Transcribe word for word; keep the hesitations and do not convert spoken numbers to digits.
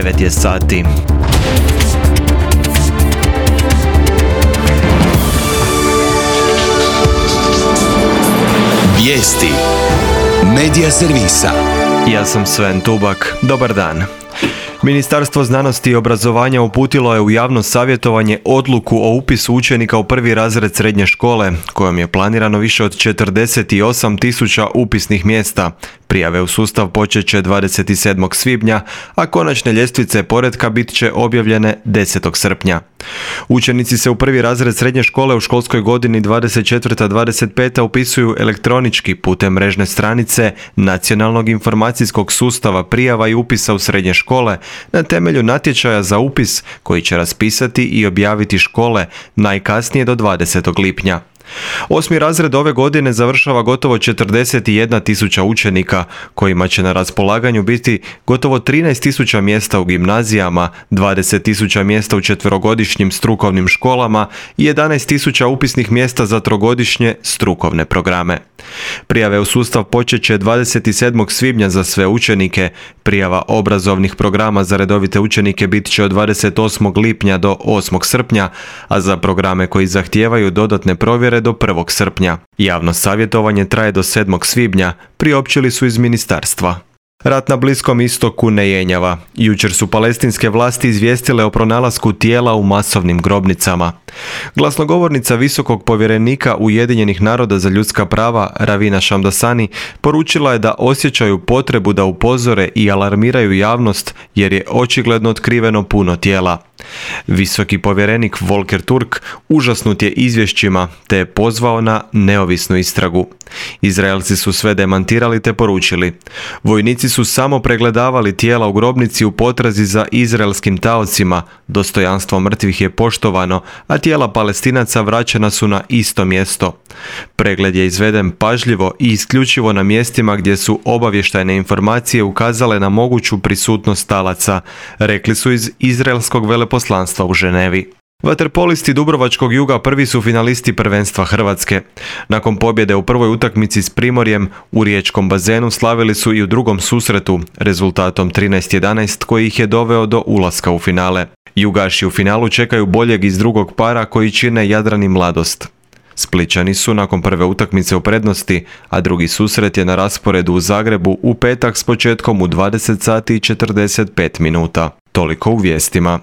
devet je sati. Vijesti Medija servisa. Ja sam Sven Tubak. Dobar dan. Ministarstvo znanosti i obrazovanja uputilo je u javno savjetovanje odluku o upisu učenika u prvi razred srednje škole, kojom je planirano više od četrdeset osam tisuća upisnih mjesta. Prijave u sustav počet će dvadeset sedmog svibnja, a konačne ljestvice poretka bit će objavljene desetog srpnja. Učenici se u prvi razred srednje škole u školskoj godini dvadeset četvrta dvadeset peta upisuju elektronički putem mrežne stranice Nacionalnog informacijskog sustava prijava i upisa u srednje škole na temelju natječaja za upis koji će raspisati i objaviti škole najkasnije do dvadesetog lipnja. Osmi razred ove godine završava gotovo četrdeset jedna tisuća učenika, kojima će na raspolaganju biti gotovo trinaest tisuća mjesta u gimnazijama, dvadeset tisuća mjesta u četverogodišnjim strukovnim školama i jedanaest tisuća upisnih mjesta za trogodišnje strukovne programe. Prijave u sustav počet će dvadeset sedmog svibnja za sve učenike, prijava obrazovnih programa za redovite učenike bit će od dvadeset osmog lipnja do osmog srpnja, a za programe koji zahtijevaju dodatne provjere do prvog srpnja. Javno savjetovanje traje do sedmog svibnja, priopćili su iz ministarstva. Rat na Bliskom istoku ne jenjava. Jučer su palestinske vlasti izvijestile o pronalasku tijela u masovnim grobnicama. Glasnogovornica visokog povjerenika Ujedinjenih naroda za ljudska prava Ravina Šamdasani poručila je da osjećaju potrebu da upozore i alarmiraju javnost jer je očigledno otkriveno puno tijela. Visoki povjerenik Volker Turk užasnut je izvješćima te je pozvao na neovisnu istragu. Izraelci su sve demantirali te poručili: vojnici su samo pregledavali tijela u grobnici u potrazi za izraelskim taocima, dostojanstvo mrtvih je poštovano, a tijela Palestinaca vraćena su na isto mjesto. Pregled je izveden pažljivo i isključivo na mjestima gdje su obavještajne informacije ukazale na moguću prisutnost talaca, rekli su iz izraelskog veleposlanstva u Ženevi. Vaterpolisti Dubrovačkog Juga prvi su finalisti prvenstva Hrvatske. Nakon pobjede u prvoj utakmici s Primorjem u riječkom bazenu slavili su i u drugom susretu rezultatom trinaest jedanaest koji ih je doveo do ulaska u finale. Jugaši u finalu čekaju boljeg iz drugog para koji čine Jadran i Mladost. Splićani su nakon prve utakmice u prednosti, a drugi susret je na rasporedu u Zagrebu u petak s početkom u dvadeset sati i četrdeset pet minuta. Toliko u vijestima.